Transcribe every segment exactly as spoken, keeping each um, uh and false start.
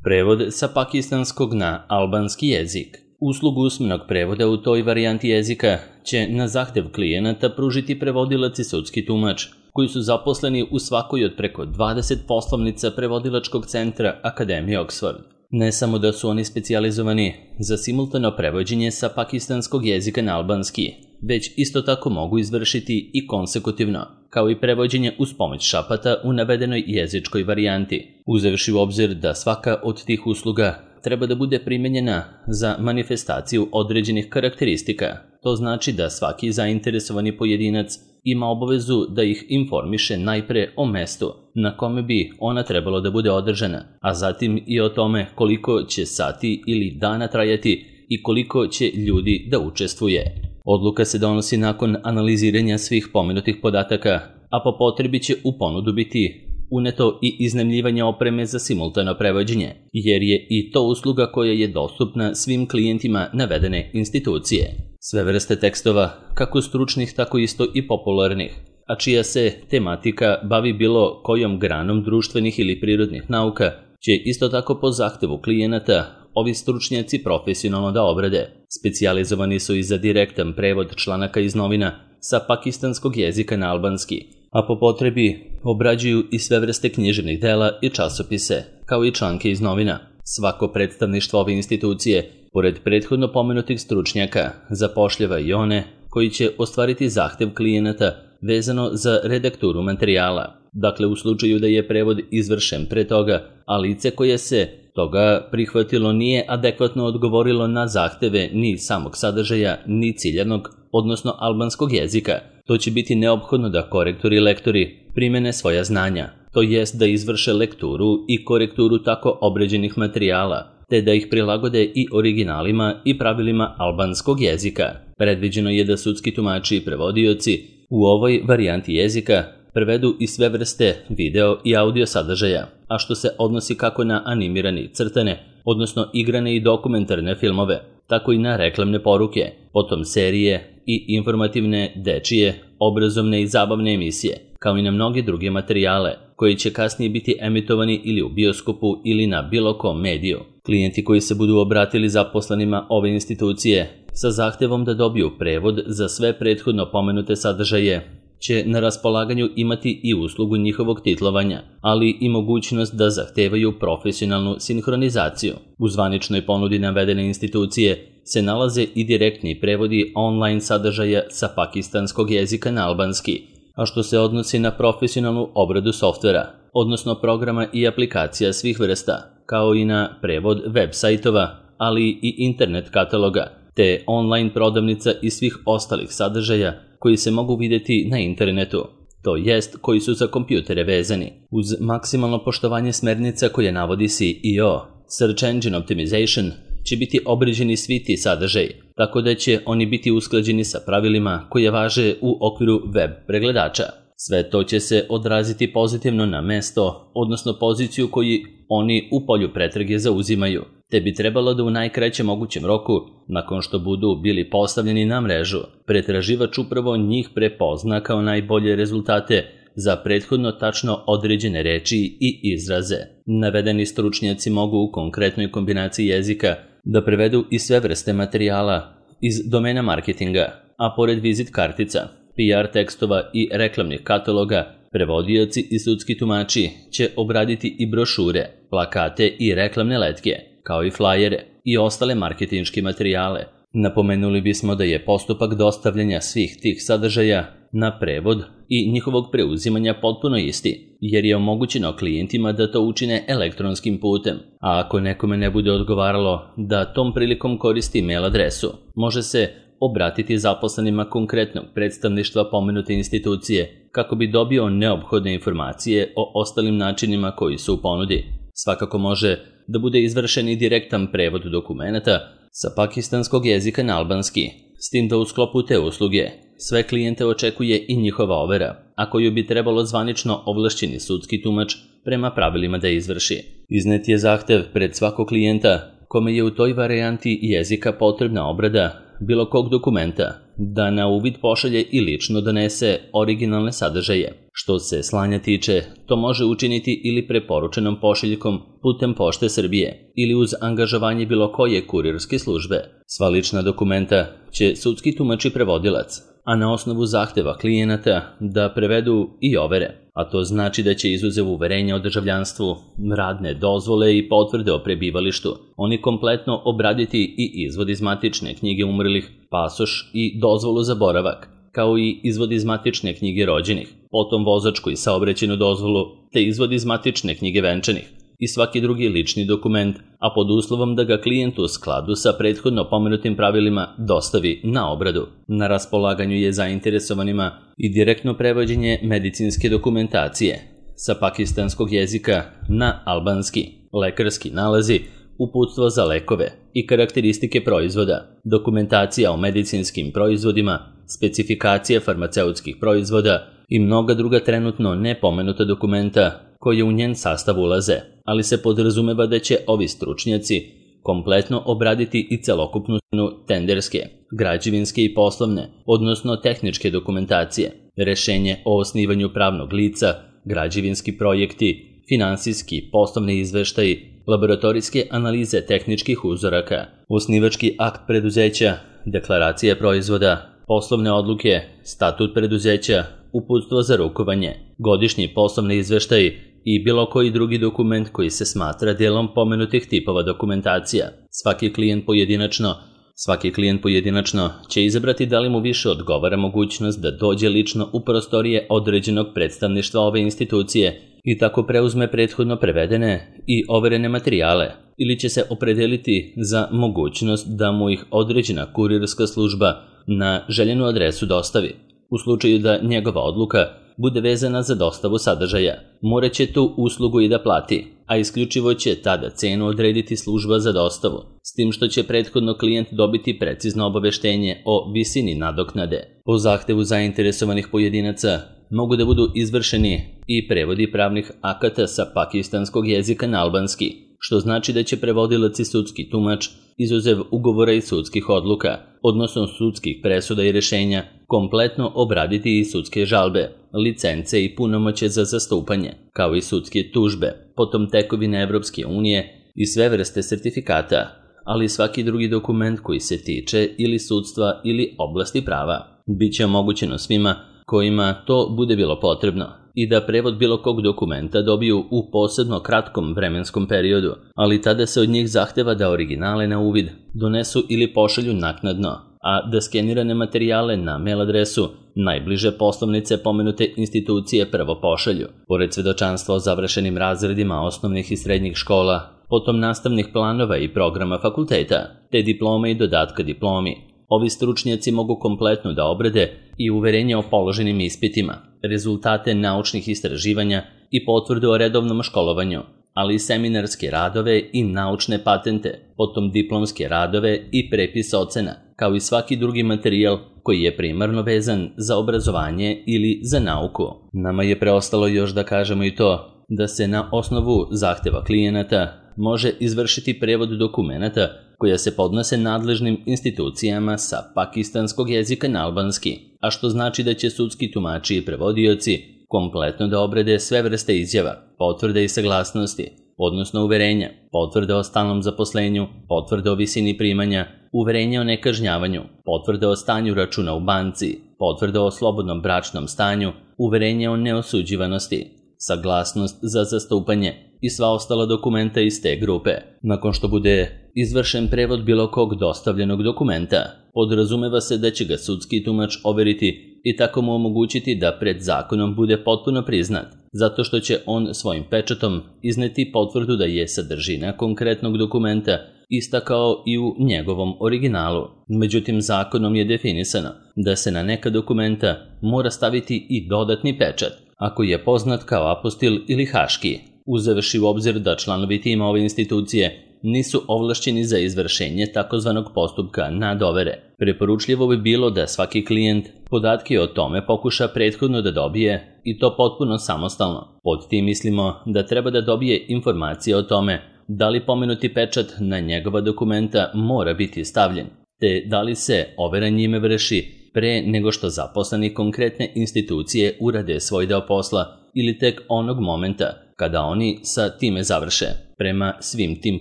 Prevod sa pakistanskog na albanski jezik. Uslugu usmenog prevoda u toj varijanti jezika će na zahtev klijenata pružiti prevodilac i sudski tumač, koji su zaposleni u svakoj od preko dvadeset poslovnica prevodilačkog centra Akademije Oxford. Ne samo da su oni specijalizovani za simultano prevođenje sa pakistanskog jezika na albanski, već isto tako mogu izvršiti i konsekutivno, kao i prevođenje uz pomoć šapata u navedenoj jezičkoj varijanti, uzevši u obzir da svaka od tih usluga treba da bude primenjena za manifestaciju određenih karakteristika. To znači da svaki zainteresovani pojedinac ima obavezu da ih informiše najpre o mestu na kome bi ona trebalo da bude održana, a zatim i o tome koliko će sati ili dana trajati i koliko će ljudi da učestvuje. Odluka se donosi nakon analiziranja svih pomenutih podataka, a po potrebi će u ponudu biti uneto i iznajmljivanje opreme za simultano prevođenje, jer je i to usluga koja je dostupna svim klijentima navedene institucije. Sve vrste tekstova, kako stručnih tako isto i popularnih, a čija se tematika bavi bilo kojom granom društvenih ili prirodnih nauka, će isto tako po zahtevu klijenata ovi stručnjaci profesionalno da obrade. Specijalizovani su i za direktan prevod članaka iz novina sa pakistanskog jezika na albanski, a po potrebi obrađuju i sve vrste književnih dela i časopise, kao i članke iz novina. Svako predstavništvo ove institucije, pored prethodno pomenutih stručnjaka, zapošljava i one koji će ostvariti zahtev klijenata vezano za redakturu materijala. Dakle, u slučaju da je prevod izvršen pre toga, a lice koje se toga prihvatilo nije adekvatno odgovorilo na zahteve ni samog sadržaja, ni ciljanog, odnosno albanskog jezika, to će biti neophodno da korektori i lektori primene svoja znanja, to jest da izvrše lekturu i korekturu tako obređenih materijala, te da ih prilagode i originalima i pravilima albanskog jezika. Predviđeno je da sudski tumači i prevodioci u ovoj varijanti jezika prevedu i sve vrste video i audio sadržaja, a što se odnosi kako na animirane i crtane, odnosno igrane i dokumentarne filmove, tako i na reklamne poruke, potom serije i informativne, dečije, obrazovne i zabavne emisije, kao i na mnoge druge materijale, koji će kasnije biti emitovani ili u bioskopu ili na bilo kom mediju. Klijenti koji se budu obratili zaposlenima ove institucije sa zahtevom da dobiju prevod za sve prethodno pomenute sadržaje, će na raspolaganju imati i uslugu njihovog titlovanja, ali i mogućnost da zahtevaju profesionalnu sinhronizaciju. U zvaničnoj ponudi navedene institucije se nalaze i direktni prevodi online sadržaja sa pakistanskog jezika na albanski, a što se odnosi na profesionalnu obradu softvera, odnosno programa i aplikacija svih vrsta, kao i na prevod web sajtova, ali i internet kataloga, te online prodavnica i svih ostalih sadržaja koji se mogu vidjeti na internetu, to jest koji su za kompjutere vezani. Uz maksimalno poštovanje smernica koje navodi S E O, Search Engine Optimization, će biti obrađeni svi ti sadržaji, tako da će oni biti usklađeni sa pravilima koje važe u okviru web pregledača. Sve to će se odraziti pozitivno na mesto, odnosno poziciju koju oni u polju pretrage zauzimaju, te bi trebalo da u najkraćem mogućem roku, nakon što budu bili postavljeni na mrežu, pretraživač upravo njih prepozna kao najbolje rezultate za prethodno tačno određene reči i izraze. Navedeni stručnjaci mogu u konkretnoj kombinaciji jezika da prevedu i sve vrste materijala iz domena marketinga, a pored vizit kartica, P R tekstova i reklamnih kataloga, prevodioci i sudski tumači će obraditi i brošure, plakate i reklamne letke, kao i flajere i ostale marketinške materijale. Napomenuli bismo da je postupak dostavljanja svih tih sadržaja na prevod i njihovog preuzimanja potpuno isti, jer je omogućeno klijentima da to učine elektronskim putem, a ako nekome ne bude odgovaralo da tom prilikom koristi mail adresu, može se obratiti zaposlenima konkretnog predstavništva pomenute institucije kako bi dobio neophodne informacije o ostalim načinima koji su u ponudi. Svakako može da bude izvršen i direktan prevod dokumenata sa pakistanskog jezika na albanski, s tim da u sklopu te usluge sve klijente očekuje i njihova overa, a koju bi trebalo zvanično ovlašćeni sudski tumač prema pravilima da izvrši. Iznet je zahtev pred svakog klijenta kome je u toj varijanti jezika potrebna obrada bilo kog dokumenta da na uvid pošalje i lično donese originalne sadržaje. Što se slanja tiče, to može učiniti ili preporučenom pošiljkom putem Pošte Srbije ili uz angažovanje bilo koje kurirske službe. Sva lična dokumenta će sudski tumač i prevodilac, a na osnovu zahteva klijenata da prevedu i overe, a to znači da će izuzev uverenja o državljanstvu, radne dozvole i potvrde o prebivalištu, oni kompletno obraditi i izvod iz matične knjige umrlih, pasoš i dozvolu za boravak, kao i izvod iz matične knjige rođenih, potom vozačku i saobraćajnu dozvolu, te izvod iz matične knjige venčanih i svaki drugi lični dokument, a pod uslovom da ga klijent u skladu sa prethodno pomenutim pravilima dostavi na obradu. Na raspolaganju je zainteresovanima i direktno prevođenje medicinske dokumentacije sa pakistanskog jezika na albanski, lekarski nalazi, uputstvo za lekove i karakteristike proizvoda, dokumentacija o medicinskim proizvodima, specifikacije farmaceutskih proizvoda i mnoga druga trenutno nepomenuta dokumenta koje u njen sastav ulaze, ali se podrazumeva da će ovi stručnjaci kompletno obraditi i celokupnu tenderske, građevinske i poslovne, odnosno tehničke dokumentacije, rešenje o osnivanju pravnog lica, građevinski projekti, finansijski, poslovni izveštaji, laboratorijske analize tehničkih uzoraka, osnivački akt preduzeća, deklaracija proizvoda, poslovne odluke, statut preduzeća, uputstvo za rukovanje, godišnji poslovni izveštaj i bilo koji drugi dokument koji se smatra delom pomenutih tipova dokumentacija. Svaki klijent pojedinačno, svaki klijent pojedinačno će izabrati da li mu više odgovara mogućnost da dođe lično u prostorije određenog predstavništva ove institucije i tako preuzme prethodno prevedene i overene materijale, ili će se opredeliti za mogućnost da mu ih određena kurirska služba na željenu adresu dostavi. U slučaju da njegova odluka bude vezana za dostavu sadržaja, morat će tu uslugu i da plati, a isključivo će tada cenu odrediti služba za dostavu, s tim što će prethodno klijent dobiti precizno obaveštenje o visini nadoknade. Po zahtevu zainteresovanih pojedinaca mogu da budu izvršeni i prevodi pravnih akata sa pakistanskog jezika na albanski, što znači da će prevodilac i sudski tumač, izuzev ugovora i sudskih odluka, odnosno sudskih presuda i rešenja, kompletno obraditi i sudske žalbe, licence i punomoće za zastupanje, kao i sudske tužbe, potom tekovine Evropske unije i sve vrste sertifikata, ali i svaki drugi dokument koji se tiče ili sudstva ili oblasti prava. Biće omogućeno svima kojima to bude bilo potrebno i da prevod bilo kog dokumenta dobiju u posebno kratkom vremenskom periodu, ali tada se od njih zahteva da originale na uvid donesu ili pošalju naknadno, a da skenirane materijale na mail adresu najbliže poslovnice pomenute institucije prvo pošalju. Pored svedočanstva o završenim razredima osnovnih i srednjih škola, potom nastavnih planova i programa fakulteta, te diplome i dodatka diplomi, ovi stručnjaci mogu kompletno da obrade i uverenje o položenim ispitima, rezultate naučnih istraživanja i potvrdu o redovnom školovanju, ali i seminarske radove i naučne patente, potom diplomske radove i prepis ocena, kao i svaki drugi materijal koji je primarno vezan za obrazovanje ili za nauku. Nama je preostalo još da kažemo i to da se na osnovu zahteva klijenata može izvršiti prevod dokumenata koja se podnose nadležnim institucijama sa pakistanskog jezika na albanski, a što znači da će sudski tumači i prevodioci kompletno da obrade sve vrste izjava, potvrde i saglasnosti, odnosno uverenja, potvrde o stalnom zaposlenju, potvrde o visini primanja, uverenja o nekažnjavanju, potvrde o stanju računa u banci, potvrde o slobodnom bračnom stanju, uverenje o neosuđivanosti, saglasnost za zastupanje i sva ostala dokumenta iz te grupe. Nakon što bude izvršen prevod bilo kog dostavljenog dokumenta, podrazumeva se da će ga sudski tumač overiti i tako mu omogućiti da pred zakonom bude potpuno priznat, zato što će on svojim pečatom izneti potvrdu da je sadržina konkretnog dokumenta ista kao i u njegovom originalu. Međutim, zakonom je definisano da se na neka dokumenta mora staviti i dodatni pečat, ako je poznat kao apostil ili haški, uzevši u obzir da članovi tima ove institucije nisu ovlašćeni za izvršenje takozvanog postupka nadovere. Preporučljivo bi bilo da svaki klijent podatke o tome pokuša prethodno da dobije i to potpuno samostalno. Pod tim mislimo da treba da dobije informacije o tome da li pomenuti pečat na njegova dokumenta mora biti stavljen, te da li se overa njime vrši pre nego što zaposleni konkretne institucije urade svoj deo posla ili tek onog momenta kada oni sa time završe. Prema svim tim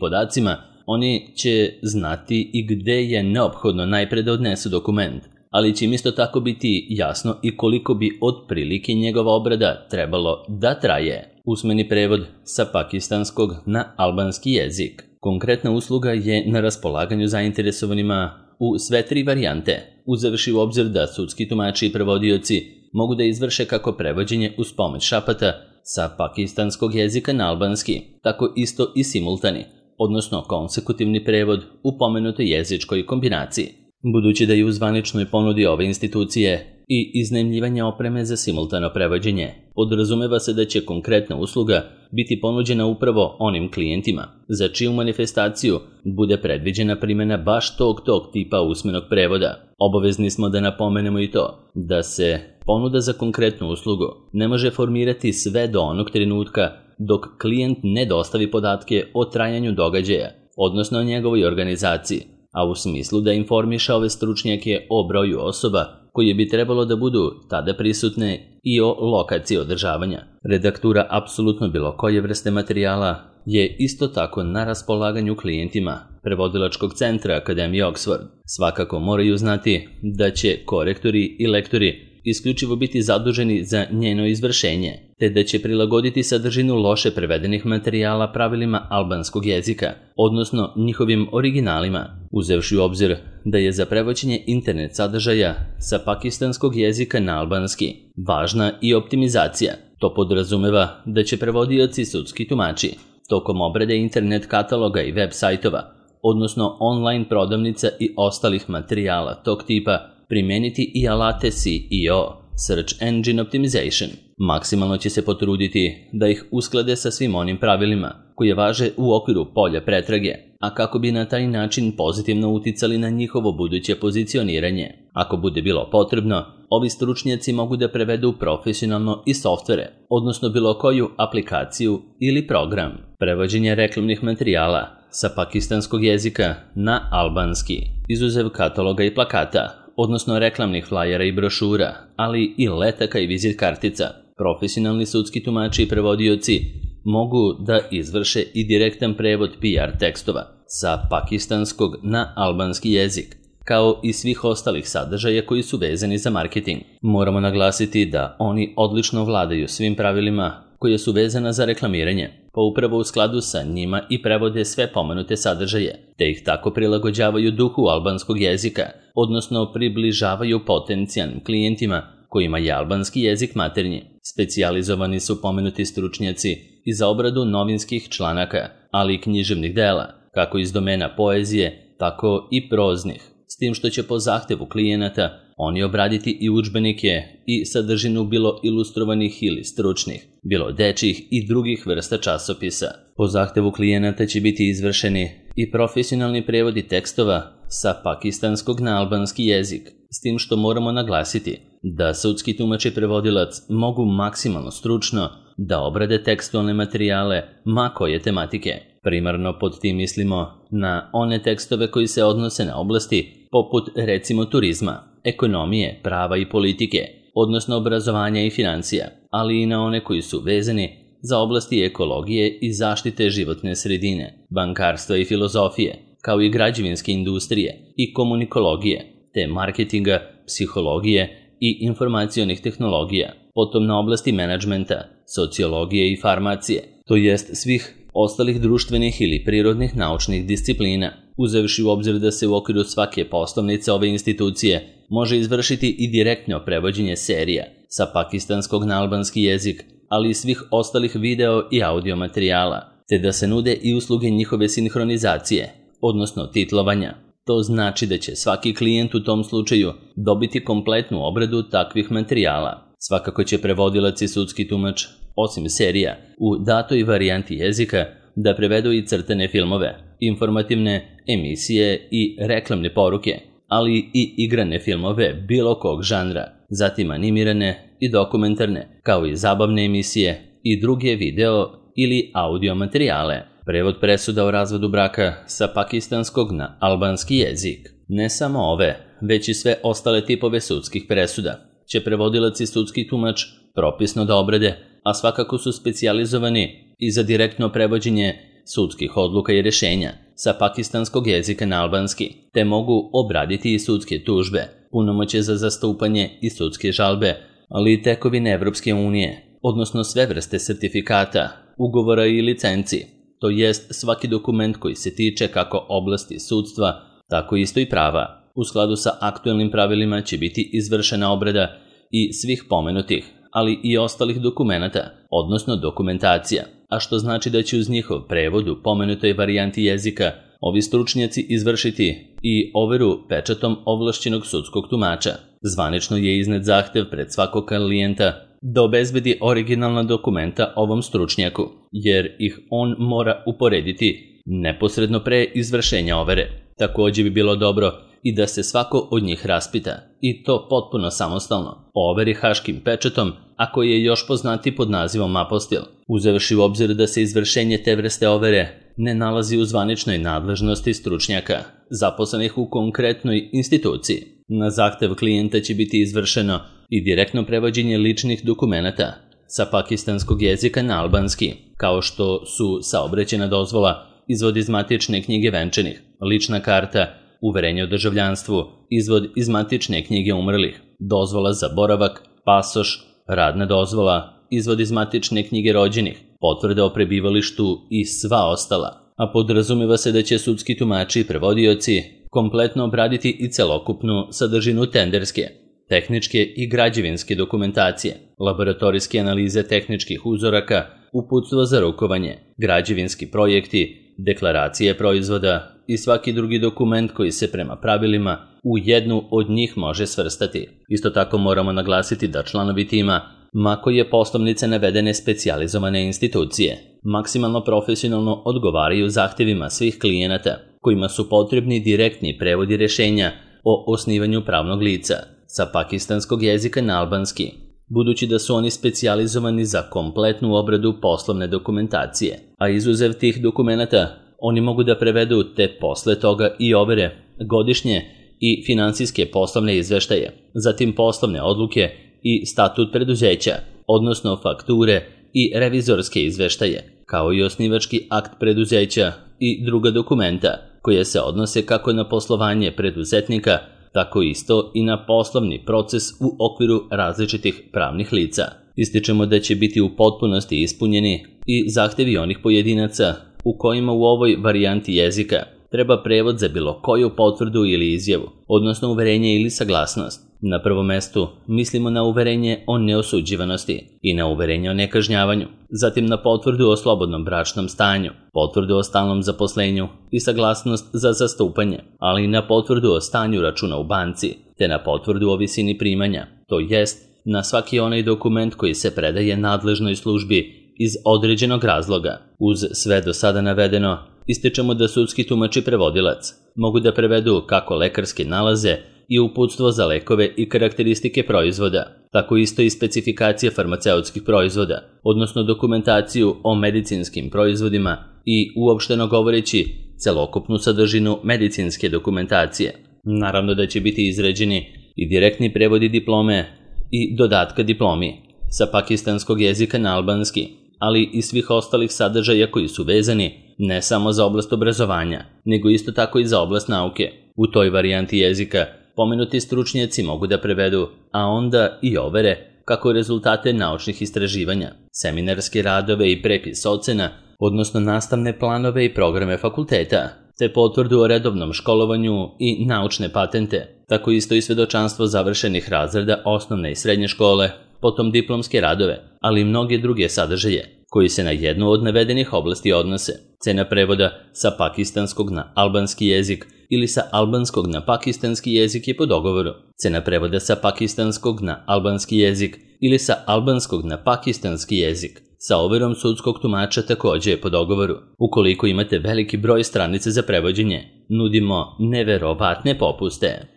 podacima, oni će znati i gde je neophodno najpre da odnesu dokument, ali će im isto tako biti jasno i koliko bi otprilike njegova obrada trebalo da traje. Usmeni prevod sa pakistanskog na albanski jezik. Konkretna usluga je na raspolaganju zainteresovanima u sve tri varijante, uzevši u obzir da sudski tumači i prevodioci mogu da izvrše kako prevođenje uz pomoć šapata sa pakistanskog jezika na albanski, tako isto i simultani, odnosno konsekutivni prevod u pomenutoj jezičkoj kombinaciji. Budući da je u zvaničnoj ponudi ove institucije i iznajmljivanje opreme za simultano prevođenje, podrazumeva se da će konkretna usluga biti ponuđena upravo onim klijentima za čiju manifestaciju bude predviđena primjena baš tog tog tipa usmenog prevoda. Obavezni smo da napomenemo i to da se ponuda za konkretnu uslugu ne može formirati sve do onog trenutka dok klijent ne dostavi podatke o trajanju događaja, odnosno o njegovoj organizaciji, a u smislu da informiše ove stručnjake o broju osoba koje bi trebalo da budu tada prisutne i o lokaciji održavanja. Redaktura apsolutno bilo koje vrste materijala je isto tako na raspolaganju klijentima prevodilačkog centra Akademije Oxford. Svakako moraju znati da će korektori i lektori isključivo biti zaduženi za njeno izvršenje, te da će prilagoditi sadržinu loše prevedenih materijala pravilima albanskog jezika, odnosno njihovim originalima, uzevši u obzir da je za prevođenje internet sadržaja sa pakistanskog jezika na albanski važna i optimizacija. To podrazumeva da će prevodioci sudski tumači tokom obrade internet kataloga i web sajtova, odnosno online prodavnica i ostalih materijala tog tipa, primeniti i alate S E O, Search Engine Optimization. Maksimalno će se potruditi da ih usklade sa svim onim pravilima koje važe u okviru polja pretrage, a kako bi na taj način pozitivno uticali na njihovo buduće pozicioniranje. Ako bude bilo potrebno, ovi stručnjaci mogu da prevedu profesionalno i softvere, odnosno bilo koju aplikaciju ili program. Prevođenje reklamnih materijala sa pakistanskog jezika na albanski, izuzev kataloga i plakata, odnosno reklamnih flajera i brošura, ali i letaka i vizit kartica. Profesionalni sudski tumači i prevodioci mogu da izvrše i direktan prevod P R tekstova sa pakistanskog na albanski jezik, kao i svih ostalih sadržaja koji su vezani za marketing. Moramo naglasiti da oni odlično vladaju svim pravilima koje su vezana za reklamiranje, pa upravo u skladu sa njima i prevode sve pomenute sadržaje, te ih tako prilagođavaju duhu albanskog jezika, odnosno približavaju potencijalnim klijentima kojima je albanski jezik maternji. Specijalizovani su pomenuti stručnjaci i za obradu novinskih članaka, ali i književnih dela, kako iz domena poezije, tako i proznih, s tim što će po zahtevu klijenata oni obraditi i udžbenike i sadržinu bilo ilustrovanih ili stručnih, bilo dečjih i drugih vrsta časopisa. Po zahtevu klijenata će biti izvršeni i profesionalni prevodi tekstova sa pakistanskog na albanski jezik, s tim što moramo naglasiti da sudski tumač i prevodilac mogu maksimalno stručno da obrade tekstualne materijale ma koje tematike. Primarno pod tim mislimo na one tekstove koji se odnose na oblasti poput recimo turizma, ekonomije, prava i politike, odnosno obrazovanja i financija, ali i na one koji su vezani za oblasti ekologije i zaštite životne sredine, bankarstva i filozofije, kao i građevinske industrije i komunikologije, te marketinga, psihologije i informacionih tehnologija, potom na oblasti menadžmenta, sociologije i farmacije, to jest svih ostalih društvenih ili prirodnih naučnih disciplina, uzevši u obzir da se u okviru svake poslovnice ove institucije može izvršiti i direktno prevođenje serija sa pakistanskog na albanski jezik, ali i svih ostalih video i audio materijala, te da se nude i usluge njihove sinhronizacije, odnosno titlovanja. To znači da će svaki klijent u tom slučaju dobiti kompletnu obradu takvih materijala. Svakako će prevodilac i sudski tumač, osim serija, u datoj varijanti jezika da prevedu i crtane filmove, informativne emisije i reklamne poruke, ali i igrane filmove bilo kog žanra, zatim animirane i dokumentarne, kao i zabavne emisije i druge video ili audio materijale. Prevod presuda o razvodu braka sa pakistanskog na albanski jezik. Ne samo ove, već i sve ostale tipove sudskih presuda će prevodilac i sudski tumač propisno da obrade, a svakako su specijalizovani i za direktno prevođenje sudskih odluka i rješenja sa pakistanskog jezika na albanski, te mogu obraditi i sudske tužbe, punomoćje za zastupanje i sudske žalbe, ali i tekovine Evropske unije, odnosno sve vrste sertifikata, ugovora i licenci, to jest svaki dokument koji se tiče kako oblasti sudstva, tako isto i prava. U skladu sa aktuelnim pravilima će biti izvršena obrada i svih pomenutih, ali i ostalih dokumenata, odnosno dokumentacija, a što znači da će uz njihov prevod u pomenutoj varijanti jezika ovi stručnjaci izvršiti i overu pečatom ovlašćenog sudskog tumača. Zvanično je iznet zahtev pred svakog klijenta da obezbedi originalna dokumenta ovom stručnjaku, jer ih on mora uporediti neposredno pre izvršenja overe. Također bi bilo dobro i da se svako od njih raspita, i to potpuno samostalno, o overi haškim pečatom, a koji je još poznati pod nazivom apostil, uzevši u obzir da se izvršenje te vrste overe ne nalazi u zvaničnoj nadležnosti stručnjaka, zaposlenih u konkretnoj instituciji. Na zahtev klijenta će biti izvršeno i direktno prevođenje ličnih dokumenata sa pakistanskog jezika na albanski, kao što su saobraćajna dozvola, izvod iz matične knjige venčanih, lična karta, uverenje o državljanstvu, izvod iz matične knjige umrlih, dozvola za boravak, pasoš, radna dozvola, izvod iz matične knjige rođenih, potvrda o prebivalištu i sva ostala. A podrazumeva se da će sudski tumači i prevodioci kompletno obraditi i celokupnu sadržinu tenderske, tehničke i građevinske dokumentacije, laboratorijske analize tehničkih uzoraka, uputstvo za rukovanje, građevinski projekti, deklaracije proizvoda i svaki drugi dokument koji se prema pravilima u jednu od njih može svrstati. Isto tako moramo naglasiti da članovi tima, mako je poslovnice navedene specijalizovane institucije, maksimalno profesionalno odgovaraju zahtjevima svih klijenata kojima su potrebni direktni prevodi rješenja o osnivanju pravnog lica sa pakistanskog jezika na albanski, budući da su oni specijalizovani za kompletnu obradu poslovne dokumentacije, a izuzev tih dokumenata oni mogu da prevedu te posle toga i overe, godišnje i finansijske poslovne izveštaje, zatim poslovne odluke i statut preduzeća, odnosno fakture i revizorske izveštaje, kao i osnivački akt preduzeća i druga dokumenta koje se odnose kako na poslovanje preduzetnika, tako isto i na poslovni proces u okviru različitih pravnih lica. Ističemo da će biti u potpunosti ispunjeni i zahtjevi onih pojedinaca u kojima u ovoj varijanti jezika treba prevod za bilo koju potvrdu ili izjavu, odnosno uverenje ili saglasnost. Na prvom mestu mislimo na uverenje o neosuđivanosti i na uverenje o nekažnjavanju, zatim na potvrdu o slobodnom bračnom stanju, potvrdu o stalnom zaposlenju i saglasnost za zastupanje, ali i na potvrdu o stanju računa u banci, te na potvrdu o visini primanja, to jest na svaki onaj dokument koji se predaje nadležnoj službi iz određenog razloga. Uz sve do sada navedeno, ističemo da sudski tumač i prevodilac mogu da prevedu kako lekarske nalaze i uputstvo za lekove i karakteristike proizvoda, tako isto i specifikacije farmaceutskih proizvoda, odnosno dokumentaciju o medicinskim proizvodima i, uopšteno govoreći, celokupnu sadržinu medicinske dokumentacije. Naravno da će biti izrađeni i direktni prevodi diplome i dodatka diplomi sa pakistanskog jezika na albanski, ali i svih ostalih sadržaja koji su vezani ne samo za oblast obrazovanja, nego isto tako i za oblast nauke. U toj varijanti jezika pomenuti stručnjaci mogu da prevedu, a onda i overe, kako rezultate naučnih istraživanja, seminarske radove i prepis ocena, odnosno nastavne planove i programe fakulteta, te potvrdu o redovnom školovanju i naučne patente, tako isto i svedočanstvo završenih razreda osnovne i srednje škole, potom diplomske radove, ali i mnoge druge sadržaje, koji se na jednu od navedenih oblasti odnose. Cena prevoda sa pakistanskog na albanski jezik ili sa albanskog na pakistanski jezik je po dogovoru. Cena prevoda sa pakistanskog na albanski jezik ili sa albanskog na pakistanski jezik sa overom sudskog tumača također je po dogovoru. Ukoliko imate veliki broj stranica za prevođenje, nudimo neverovatne popuste.